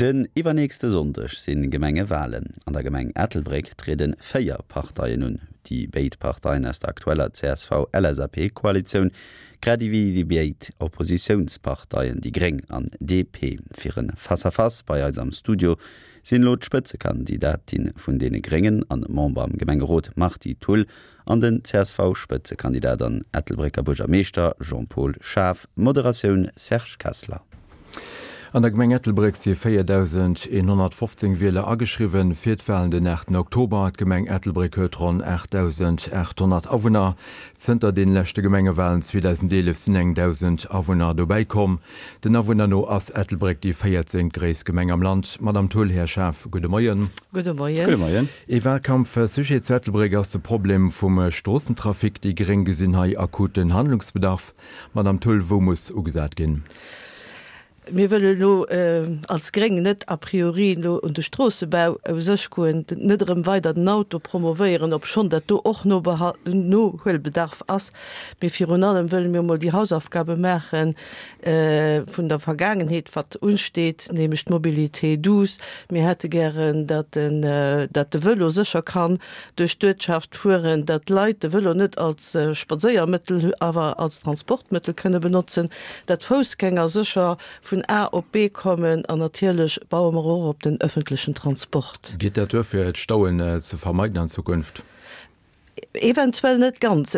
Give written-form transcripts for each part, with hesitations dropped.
Den iwwernächste Sonndeg si Gemengewalen. An der Gemeng Ettelbréck triede 4 Parteien un. Déi béid Parteien aus der aktueller CSV-LSAP-Koalitioun, grad ewéi déi béid Oppositiounsparteien déi Gréng an DP. Fir e Face-à-Face bei eis am Studio sinn elo d'Spëtzekandidatin vun deene Gréngen an Member am Gemengerot Marty Thull an den CSV-Spëtzekandidat an Ettelbrécker Buergermeeschter Jean-Paul Schaaf. Moderatioun Serge Kessler. An der Gemeng Ettelbréck si 4.115 Wieler ageschriwwen fir d'Walen den 8 Oktober. D'Gemeng Ettelbréck huet ronn 8.800 Awunner. Zënter den leschte Gemengewalen 2011 sinn eng 1.000 Awunner dobäi komm. Den Awunner no ass Ettelbréck déi 14. Gréisst Gemeng am Land. Madamm Thull, Här Schaaf, gudde Moien. Gudde Moien. Gudde Moien. Ee Wahlkampfsujet zu Ettelbréck ass de Problem vum Stroossentrafic. Déi Gréng gesinn hei akuten Handlungsbedarf. Madamm Thull, wou muss ugesat ginn? Mir wëllen elo als Gréng net a priori elo un de Stroossebau u sech goen, net erëm weider den Auto promovéieren, obschonn dat do och Nohuelbedarf ass. Mee virun allem wëlle mir emol déi Hausaufgabe maache vun der Vergaangenheet, wat unsteet, nämlech d'Mobilité douce. Mir hätte gären, datt den, datt de Vëlo sécher kann duerch d'Uertschaft fueren, datt d'Leit de Vëlo net als Spadséiermëttel, awer als Transportmëttel kënne benotzen, datt d'Foussgänger sécher vun A op B kommen an natierlech baue mer och op den öffentlechen Transport. Geet dat duer, fir d'Stauen ze vermeiden an Zukunft? Eventuell net ganz.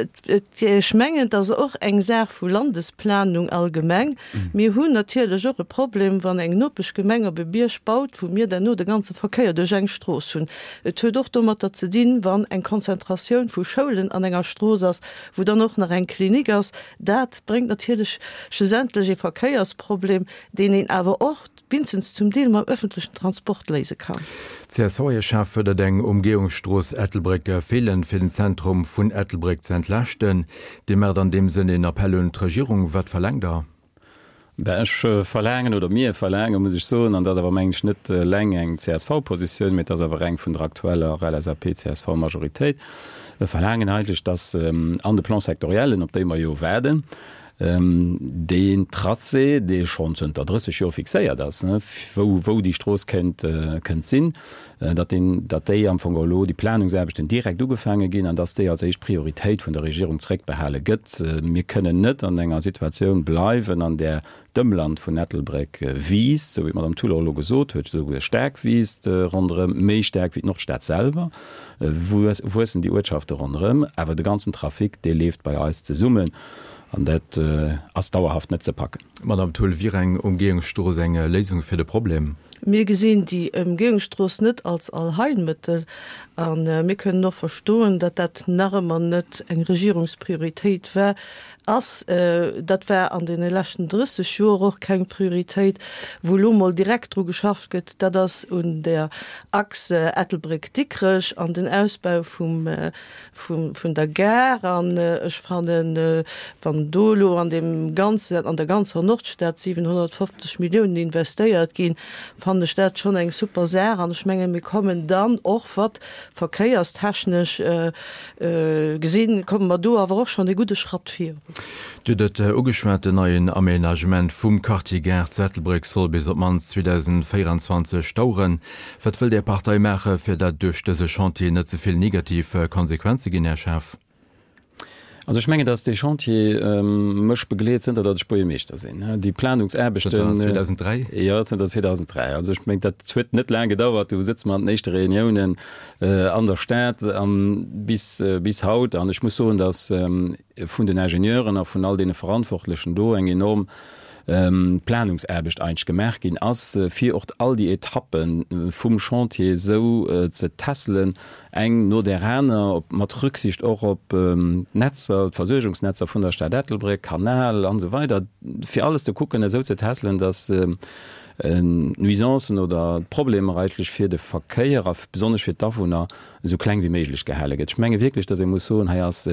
Ech mengen, et ass och eng Saach vu Landesplanung allgemeng. Mir hunn natierlech och e Problem, wann eng Nopeschgemeng op e Bierg baut, wou mir derno de ganze Verkéier duerch eng Strooss hunn. Et huet och domatter ze dinn, wann eng Konzentratioun vu Schoulen an enger Strooss ass, wou dann och nach eng Klinik ass. Dat bréngt natierlech schlussendlech ee Verkéiersproblem, deen een awer och, Winstens zum Deel mam öffentlechen Transport léise kann. CSV-Chef fuerdert eng Umgehungsstrooss Ettelbréck-Feelen, fir den Zentrum vun Ettelbréck ze entlaaschten. Dir maacht an deem Sënn een Appell un d'Regierung. Wat verlaangt Der? Ben, ech verlaangen, oder mir verlaangen, muss ech soen, an dat ass awer, mengen ech, net eleng eng CSV-Positioun, mee et ass awer eng vun der aktueller LSAP-CSV-Majoritéit, verlaangen eigentlech, dass an de Plan-sectoriellen, op déi mer jo waarden, Deen Tracé, dee schonn zënter 30 Joer fixéiert ass, wou, wou déi Strooss kéint, kënnt sinn, datt deen, datt déi am Fong elo, déi Planungsaarbechten direkt ugefaange ginn an datt déi als éischt Prioritéit vun der Regierung zréckbehale gëtt. Mir kënnen net an enger Situatioun bleiwen, an där D'Ëmland vun Ettelbréck wiisst, sou wéi d'Madame Thull och elo gesot huet, souguer staark wiisst ronderëm, méi staark wéi d'Nordstad selwer, wuessen déi Uertschafte ronderëm, awer de ganzen Trafic, dee leeft bei eis zesummen an dat ass dauerhaft net ze packen. Madame Thull, wier eng Umgehungsstrooss eng Léisung fir de Problem? Mir gesinn déi Ëmgehungsstrooss net als Allheilmëttel a mir kënnen och verstoen, datt dat nach ëmmer net eng Regierungsprioritéit war. Ass. Dat war an deene leschten 30 Joer och keng Prioritéit. Wou elo mol direkt dru geschafft gëtt, dat ass un der Achs Ettelbréck-Dikrech an den Ausbau vum, vun der Gare. An ech fannen, wann do elo an deem ganzen, an der ganzer Nordstad 750 Milliounen investéiert ginn, fannen ech dat schonn eng super Saach. An ech mengen, mir kommen dann och, wat verkéierstechnesch Gesinn, komme mer do awer och schonn e gudde Schratt virun. Dir hutt et ugeschwat, Den neien Aménagement vum Quartier Gare zu Ettelbréck soll bis op d'mannst 2024 daueren. Wat wëllt Är Partei maache fir datt duerch dëse Chantier net ze vill negativ Konsequenze ginn, Här Schaaf? Also ech mengen, datt dee Chantier mech begleet zënter datt ech Buergermeeschter sinn. Déi Planungsaarbechten. Zënter 2003? Jo, zënter 2003. Also ech mengen, dat huet net laang gedauert. Do sëtze mer an den éischte Reuniounen an der Stad bis, bis haut. An ech muss soen, datt vun den Ingenieuren a vun all deene Verantwortlechen do eng enorm Planungsaarbecht eigentlech gemaach ginn ass, fir och all déi Etappe vum Chantier esou ze tässelen, eng no där aner, mat Rücksicht och op d'Netzer, d'Versuergungsnetzer vun der Stad Ettelbréck, Kanal an esou weider, fir alles ze kucken, esou ze tässelen, datt d'Nuisancen oder d'Problemer eigentlech fir de Verkéier a besonnesch fir d'Awunner esou kleng wéi méiglech gehale gëtt. Ech menge wierklech, datt ee muss soen, hei ass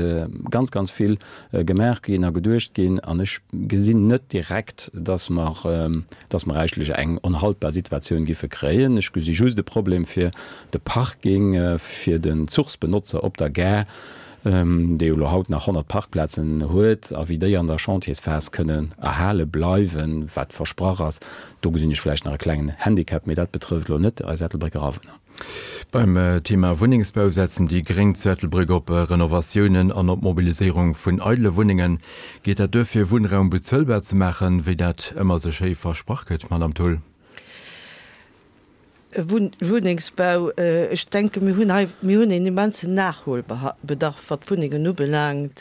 ganz, ganz vill gemaach ginn a geduecht ginn an ech gesinn net direkt, datt mer, datt mer eigentlech eng onhaltbar Situatioun giffe kréien. Ech gesi just e Problem fir de Parking, fir den Zuchsbenotzer op der Gare. Dee jo elo haut nach 100 Parkplazen huet, a wéi déi an der Chantiersphas kënnen erhale bleiwen, wat versprach ass, do gesinn ech vläicht nach e klengen Handicap, mee dat betrëfft elo net eis Ettelbrécker Awunner. Beim Thema Wunnengsbau setzen déi Gréng zu Ettelbréck op Renovatiounen an op d'Mobiliséierung vun eidele Wunnengen. Geet dat duer fir Wunnraum bezuelbar ze maachen, wéi dat ëmmer sou schéi versprach gëtt, Madame Thull? Wunnengsbau, ech denke mir hunn hei, mir hunn een immensen Nachholbedarf wat d'Wunnengen ubelaangt.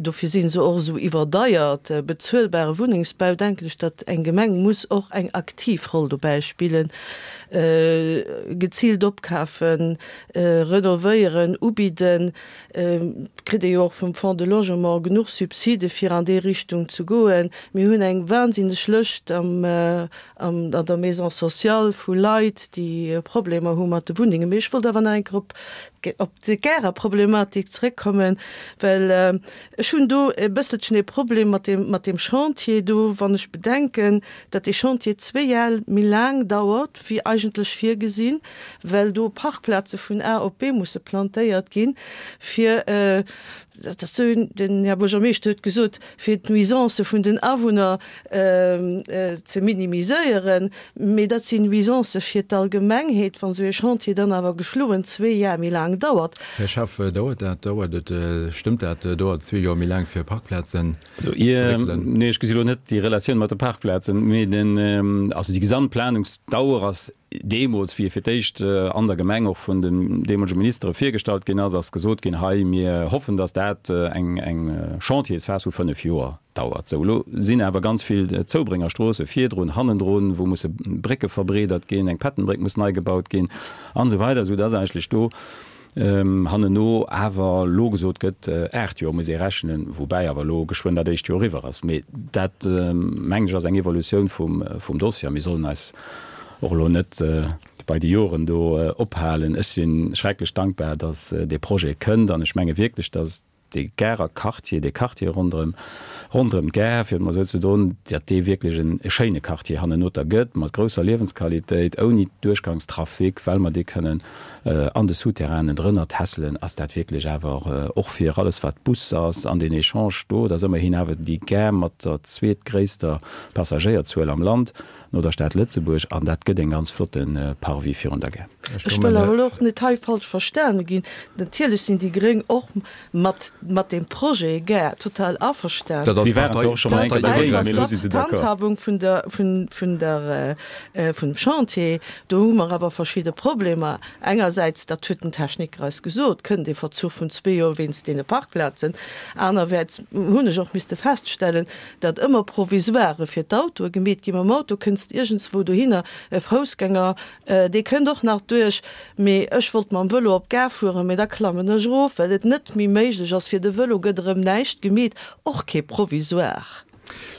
Dofir si se och esou iwwerdeiert. Bezuelbare Wunnengsbau, denken ech, datt eng Gemeng muss och eng aktiv Roll dobäi spillen, geziilt opkafen, renovéieren, ubidden. Et kritt ee jo och vum Fonds de Logement genuch Subside fir an déi Richtung ze goen. Mir hunn eng wahnsinneg Lëscht am an der Maison sociale vu Leit, déi Problemer hu mat de Wunnengen. Mee ech wollt awer nach eng Kéier op op d'Gare-Problematik zréckkommen, well ech hunn do e bësselchen e Problem mat deem mat deem Chantier do, wann ech bedenken, datt dee Chantier zwéi Jar méi laang dauert wéi eigentlech virgesinn, well do Parkplaze vun A op B musse plantéiert ginn, fir, dat ass esou, den Här Buergermeeschter huet gesot, fir d'Nuisancë vun den Awunner ze minimiséieren, mee dat sinn Nuisancë fir d'Allgemengheet, wann esou ee Chantier dann awer geschloen zwee Jar méi laang dauert. Här Schaff, dauert dat, dauert et, stëmmt dat, dauert zwee Joer méi laang fir Parkplazen ze réckelen? Nee, ech gesi lo net déi Relatioun mat de Parkplazen, mee den, also déi gesamt Planungsdauer ass Deemools, wéi e fir d'éischt an der Gemeng och vun den deemolege Ministere virgestallt ginn ass, ass gesot ginn, hei, mir hoffen, datt dat eng Chantiersphas vu 5 Joer dauert. Sou, elo sinn awer ganz vill Zoubréngerstroosse virdrun, hannendrun, wou musse Brécke verbreedert ginn, eng Pattonbréck muss nei gebaut ginn an esou weider, esou datt eigentlech do hannenno awer elo gesot gëtt, 8 Joer muss ee rechnen, woubäi awer elo geschwënn dat éischt Joer eriwwer ass. Mee dat, mengen ech, ass eng Evolutioun vum Dossier a mir sollen eis och elo net bei de Joren do ophalen. Ech si schrecklech dankbar, datt dee Projet kënnt an ech menge wierklech, datt dee Garer Quartier, dee Quartier ronderëm, ronderëm d'Gare, fir et mol esou ze doen, datt dee wierklech en schéine Quartier hannenoter gëtt, mat grousser Liewensqualitéit, ouni Duerchgangstrafic, well mer dee kënnen an de Souterrainen drënner tässelen, ass dat wierklech awer och fir alles wat Bus ass an deen Echange do, dat ass ëmmerhin awer déi Gare mat der zweetgréisster Passagéierzuel am Land, no der Stad Lëtzebuerg, an dat gëtt en ganz flotte Parvis virun der Gare. Ech wëll awer elo och net hei falsch verstane ginn. Natierlech sinn déi Gréng och mat mat deem Projet Gare total averstanen. Dat ass Si waren zwar och scho mol eng Kéier dogéint, mee elo si se d'accord. D'Handhabung vun der vun vun der vun dem Chantier, do hu mer awer verschidde Problemer. Engersäits, dat huet den Techniker eis gesot, kënnt ee Verzuch vun zwee Joer wéinst deene Parkplazen. Anerwäerts hunn ech och misste feststellen, datt ëmmer Provisoiren fir d'Autoe gemeet ginn. Mam Auto kënns de iergendswou dohinner, e Foussgänger, dee kënnt och nach duerch, mee ech wollt mam Vëlo op d'Gare fueren, mee da klammen ech erof, well et net méi méiglech ass. Fir de Vëlo gëtt erëm näischt gemeet, och kee Provisoire.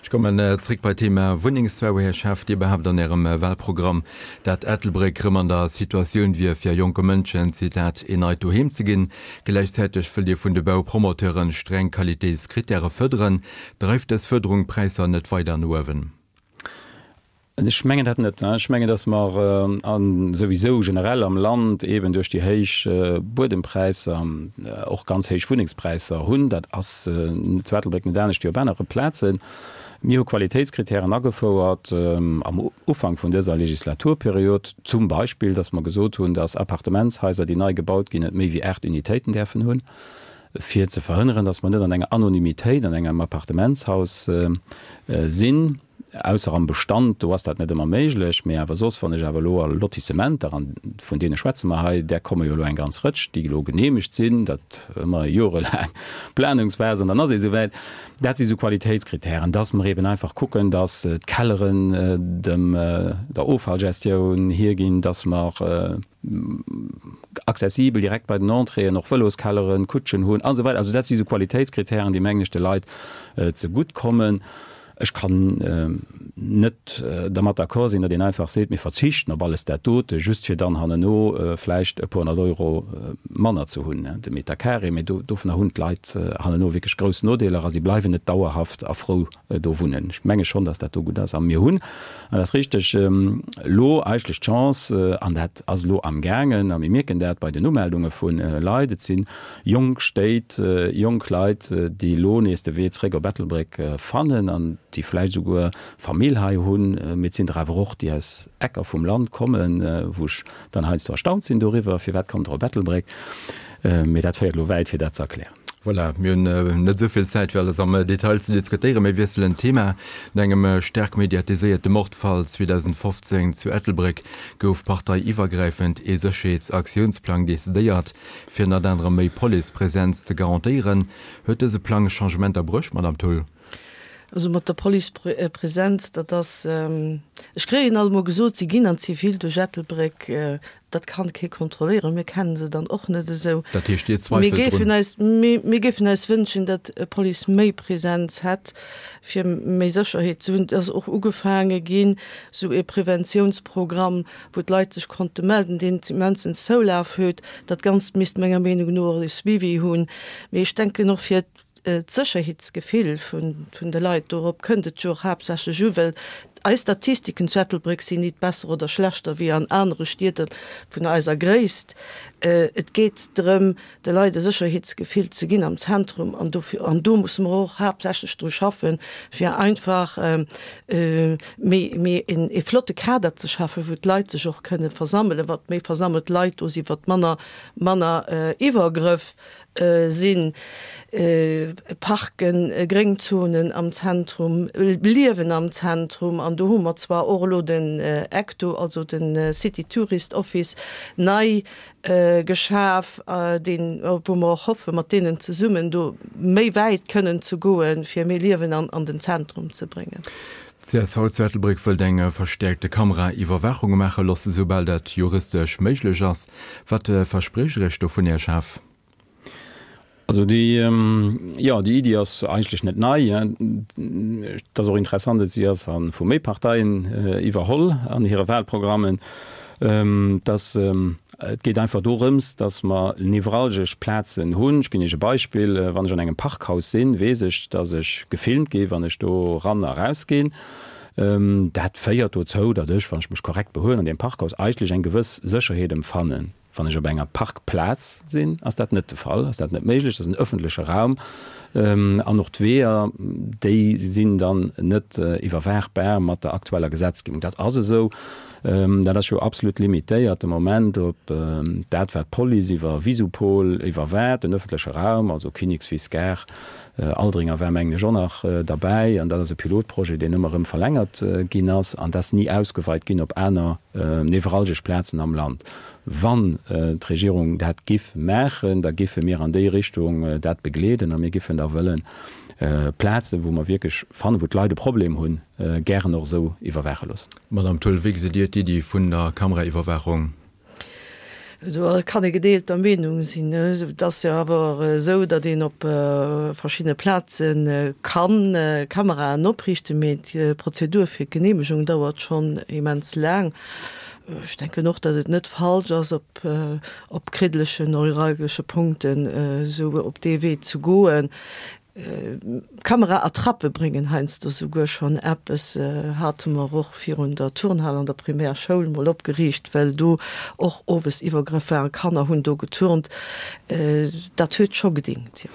Ech kommen zréck bei d'Thema Wunnengsbau. Här Schaaf, Dir behaapt an Ärem Wahlprogramm, dat Ettelbréck rëm an der Situatioun wier, fir jonke Mënschen, Zitat, een neit Doheem ze ginn. Gläichzäiteg wëllt Dir vun de Baupromoteuren streng Qualitéitskrittäre fërderen. Dreift dës Fërderung d'Präisser net weider no uewen? Ech mengen dat net. Ech mengen, datt mer souwisou generell am Land eeben duerch déi héich Buedempräisser och ganz héich Wunnengspräisser hunn. Dat ass zu Ettelbréck net anescht wéi op anere Plazen. Mir hu Qualitéitskritären agefouert am Ufank vun dëser Legislaturperiod, zum Beispill, datt mer gesot hunn, datt Appartementshaiser, déi nei gebaut ginn, net méi wéi 8 Unitéiten däerfen hunn. fir ze verhënneren, dass mer net an enger Anonymitéit an engem Appartementshaus sinn, ausser am Bestand, do ass dat net ëmmer méiglech, mee awer soss, wann ech awer elo a Lotissementer, an vun deene schwätze mer hei, där komme jo elo eng ganz Rëtsch, déi elo geneemegt sinn, dat ëmmer jorelaang Planungsphase an dann ass et esouwäit, dat si sou Qualitéitskritären, dass mer eben einfach kucken, dass d'Kelleren dem der Offallgestioun hierginn, dass mer accessibel direkt bei den Entréeën och Vëloskelleren, Kutschen hunn a sou weider. Also dat si sou Qualitéitskritären, déi mengen ech de Leit zegutt kommen. Ech kann net dermat d'accord sinn, datt een einfach seet, mir verzichten op alles dat dote, just fir dann hanneno vläicht e puer honnert Euro manner ze hunn de Meter carré. Mee dovunner hunn d'Leit hanneno wierklech grouss Nodeeler a si bleiwen net dauerhaft a frou do wunnen. Ech menge schonn, datt dat do gutt ass. A mir hunn, an dat ass richteg, elo eigentlech d'Chance, an dat ass elo amgaangen, a mir mierken dat bei den Umeldunge vu Leit, et si jonk Stéit, jonk Leit, déi elo nees de Wee zréck op Ettelbréck fannen an déi vläicht esouguer Famill hei hunn, mee et sinn der awer och, déi aus Ecker vum Land kommen, wou ech dann heiansdo erstaunt sinn doriwwer, Firwat kommt der op Ettelbréck? Mee dat féiert elo wäit, fir dat ze erklären. Voilà, mir hunn net esou vill Zäit, fir alles am Detail ze diskutéieren. Mir wiesselen d'Thema. No engem staark mediatiséierte Mordfall 2015 zu Ettelbréck gouf parteiiwwergräifend ee Sécherheetsaktiounsplang decidéiert. Fir ënnert anerem méi Policepresenz ze garantéieren, huet dëse Plang Changementer bruecht, Madame Thull? Also mat der Policepresenz, dat ass, ech kréien alt emol gesot, si ginn an Zivil duerch Ettelbréck, dat kann kee kontrolléieren, mir kennen se dann och net esou. Dat heescht, Dir zweifelt drun? Mir géifen eis wënschen, datt d'Police méi Presenz hätt, fir méi Sécherheet ze hunn. Et ass och ugefaange ginn, esou ee Preventiounsprogramm wou d'Leit sech konnte melden, deen immensen Zoulaf huet. Dat Ganzt misst menger Meenung no och e Suivi hunn. Mee ech denken och fir d'Sécherheetsgefill vun de Leit, dorop kënnt et jo och haaptsächlech u, well eis Statistiken zu Ettelbréck sinn nit besser oder schlechter wéi an anere Stied vun eiser Gréisst. Et geet drëm, de Leit e Sécherheetsgefill ze ginn am Zentrum an dofir, an do musse mer och haaptsächlech dru schaffen, fir einfach méi, méi een ee flotte Kader ze schaffen, wou d'Leit sech och kënne versammelen. Wat méi versammelt Leit do sinn, wat manner, manner Iwwergrëff sinn. Parken, Gréngzonen am Zentrum, Liewen am Zentrum an do hu mer zwar och elo den ECTO, also de City Tourist Office, nei geschaf, deen, wou mer och hoffen, mat deenen zesummen do méi wäit kënnen ze goen, fir méi Liewen an den Zentrum ze bréngen. D'CSV zu Ettelbréck wëllt eng verstäerkte Kameraiwwerwaachung maache loossen, soubal dat juristesch méiglech ass. Wat verspriecht Der Iech dovun, Här Schaaf? Also déi, jo, déi Iddi ass eigentlech net nei. Et ass och interessant, et si ass a vu méi Parteien iwwerholl an hire Wahlprogrammen, dass et geet einfach dorëms, dass mer nevralgesch Plazen hunn. Ech ginn Iech e Beispill, Wann ech an engem Parkhaus sinn, weess ech, dass ech gefilmt gi wann ech do eran a rausginn. Dat féiert dozou, datt ech, wann ech mech korrekt behuelen an deem Parkhaus, eigentlech eng gewëss Sécherheet emfannen. Wann ech op enger Parkplaz sinn, ass dat net de Fall, ass dat net méiglech. Dat ass en ëffentleche Raum an och d'Weeër, déi sinn dann net iwwerwaachbar mat der aktueller Gesetzgebung. Dat ass esou. Dat ass jo absolut limitéiert de Moment op dat, wat d'Police iwwer Visupol iwwerwaacht, den ëffentleche Raum, also Kinnekswiss, Gare, Aldringer war mengen ech och nach derbäi. An dat ass e Pilotprojet, deen ëmmer erëm verlängert ginn ass an dat ass ni ausgeweit ginn op aner nevralgesch Plazen am Land. Wann d'Regierung dat giff maachen, da giffe mir an déi Richtung dat begleeden a mir giffen da wëllen Plazen, wou mer wierklech fannen, wou d'Leit e Problem hunn, gären och esou iwwerwaache loossen. Madame Thull, wéi gesitt Dir d'Iddi vun der Kameraiwwerwaachung? Do kann ee gedeelter Meenung sinn. Et ass jo awer esou, datt een op verschiddene Plaze kann Kameraen opriichten, mee d'Prozedur fir d'Geneemegung dauert schonn immens laang. Ech denken och, datt et net falsch ass, op op kriddelegen, neuralgesche Punkten esou op dee Wee ze goen. Kamera-Attrappe bréngen heiansdo souguer schonn eppes, hate mer och virun der Turnhal an der Primärschoul mol opgeriicht, well do och owes Iwwergrëff waren, Kanner hunn do geturnt. Dat huet scho gedingt, jo.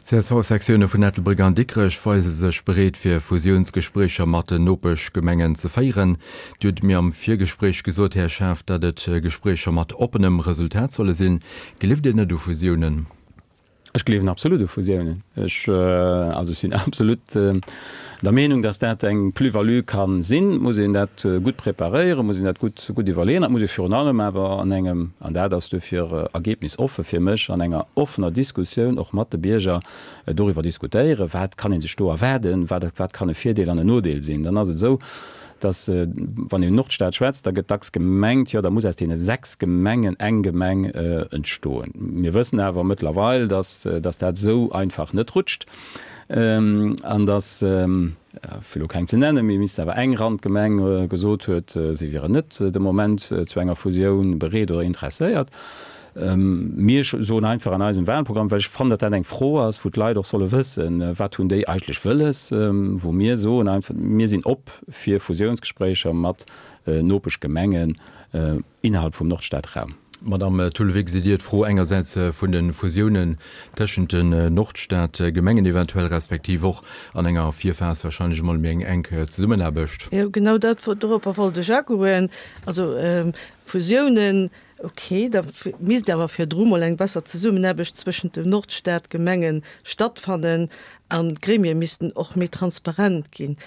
D'CSV-Sektioune vun Ettelbréck an Dikrech weise sech bereet fir Fusiounsgespréicher mat den Nopeschgemengen ze féieren. Dir hutt mir am Virgespréich gesot, Här Schaaf, datt et Gespréicher mat oppenem Resultat solle sinn. Gleeft Dir net u Fusiounen? Ech gleewen absolut u Fusiounen. Ech, also ech sinn absolut der Meenung, datt dat eng Plus-value ka sinn. Et muss een dat gutt preparéieren, muss een dat gutt, gutt iwwerleeën. Et muss ee virun allem awer an engem, an dat ass duerfir ergebnisoffe fir mech, an enger offener Diskussioun och mat de Bierger doriwwer diskutéieren, wat kann ee sech do erwaarden, wat, wat kann e Virdeel an en Nodeel sinn. Dann ass et esou, dass, wann een un Nordstad schwätzt, da gëtt dacks gemengt, jo, da muss aus deene 6 Gemengen eng Gemeng entstoen. Mir wëssen awer mëttlerweil, dass, dass dat esou einfach net rutscht. An datt, fir elo keng ze nennen, mee misst awer eng Randgemeng gesot huet, si wieren net de Moment zu enger Fusioun bereet oder interesséiert. Mir soen einfach an eisem Wahlprogramm, well ech fannen, datt dat eng Fro ass, wou d'Leit och solle wëssen, wat hunn déi eigentlech wëlles, wou mir soen einfach, mir sinn op fir Fusiounsgespréicher mat Nopeschgemengen innerhalb vum Nordstadraum. Madamm Thull, wéi gesitt Dir d'Fro engersäits vun de Fusiounen tëschent den Nordstadgemengen eventuell, respektiv och an enger Virphas wahrscheinlech emol méi eng enk Zesummenaarbecht? Jo, genau dat, doropper wollt ech agoen. Also Fusiounen, Ok, da misst awer virdru mol eng besser Zesummenaarbecht zwëschent de Nordstadgemenge stattfannen an d'Gremie missten och méi transparent ginn.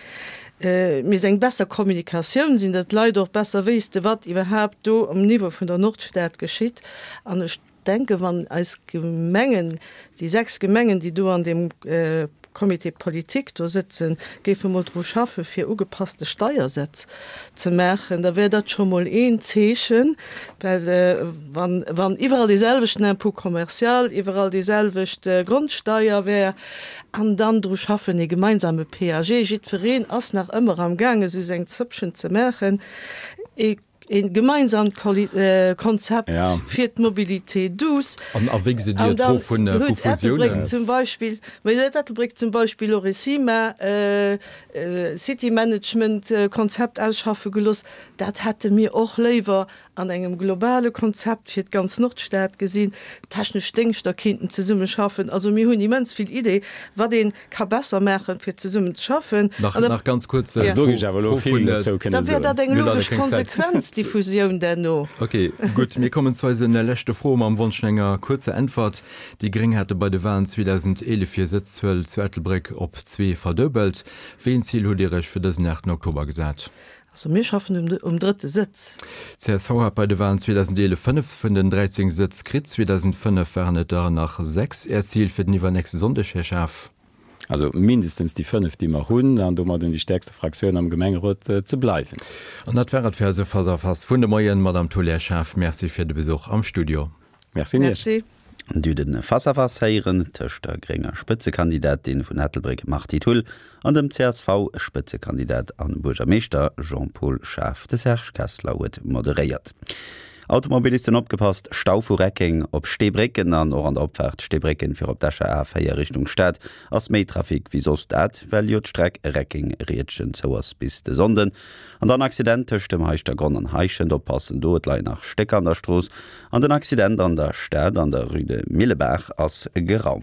Et misst eng besser Kommunikatioun sinn, datt d'Leit och besser wéisste wat iwwerhaapt do um Niveau vun der Nordstad geschitt. An ech denken, wann eis Gemengen, déi 6 Gemengen, déi do an deem Comité politique do sëtzen, géife mol dru schaffe fir ugepasste Steiersätz ze maachen, da wär dat scho mol een Zeechen, well wann, wann iwwerall dee selwechten Impôt commercial, iwwerall déi selwecht Grondsteier wär, an dann dru schaffen ee gemeinsame PAG, jiddwereen ass nach ëmmer am gaange sou seng Zëppchen ze maachen, ee Ee gemeinsamt Konzept fir d'Mobilité douce. An a wéi gesitt Dir d'Fro vun Fusiounen? Zum Beispill, mä huet Ettelbréck zum Beispill och e CIMA, City Management Konzept ausschaffe gelooss. Dat hätte mir och léiwer an engem globale Konzept fir d'ganz Nordstad gesinn. D'technesch Déngschter kéinten zesumme schaffen. Also mir hunn immens vill Idee, wat ee ka besser maachen, fir zesummen ze schaffen. Nach, nach ganz kuerz, ja. Do géif ech awer elo vill dozou kënnen soen. Da wär dat eng logesch Konsequenz, déi Fusioun derno. Ok, gutt. Mir kommen zu eise leschte Fro mam Wonsch no enger kuerzer Äntwert. Déi Gréng hate bei de Walen 2011 hir Sëtzzuel zu Ettelbréck op zwee verduebelt. Wéi een Zil hutt Dir Iech fir dësen 8 Oktober gesat? Also mir schaffen um drëtte Sëtz. Csv hat bei de Walen 2011 5 vun den 13 Sëtz kritt, 2005 waren et der nach 6. Äert Zil fir den iwwernächste Sonndeg, Här Schaaf? Also mindestens déi 5, déi mer hunn, an domadden déi stäerkste Fraktioun am Gemengerot ze bleiwen. An dat war et fir eise Face-à-Face vun de Moien. Madamm Thull, Här Schaaf, Merci fir de Besuch am Studio. Merci un Iech. Merci. Dir hutt e Face-à-Face héieren tëscht der grénger Spëtzekandidatin vun Ettelbréck Marthe Thull an dem CSV-Spëtzekandidat a Buergermeeschter Jean-Paul Schaaf. De Serge Kessler huet moderéiert. Automobilisten opgepasst, Stau vu Reckeng op Steebrécken an och an der Opfaart Steebrécken fir op d'Escher A4 Richtung Stad ass méi Trafic wéi soss. Dat well jo d'Streck Reckeng-Riedgen zou ass bis de Sonnden. An dann Accident tëscht dem Heischtergronn an Heischent, oppassen do, et leien nach Stécker an der Strooss. An den Accident an der Stad an der Rue de Millebaach ass geraumt.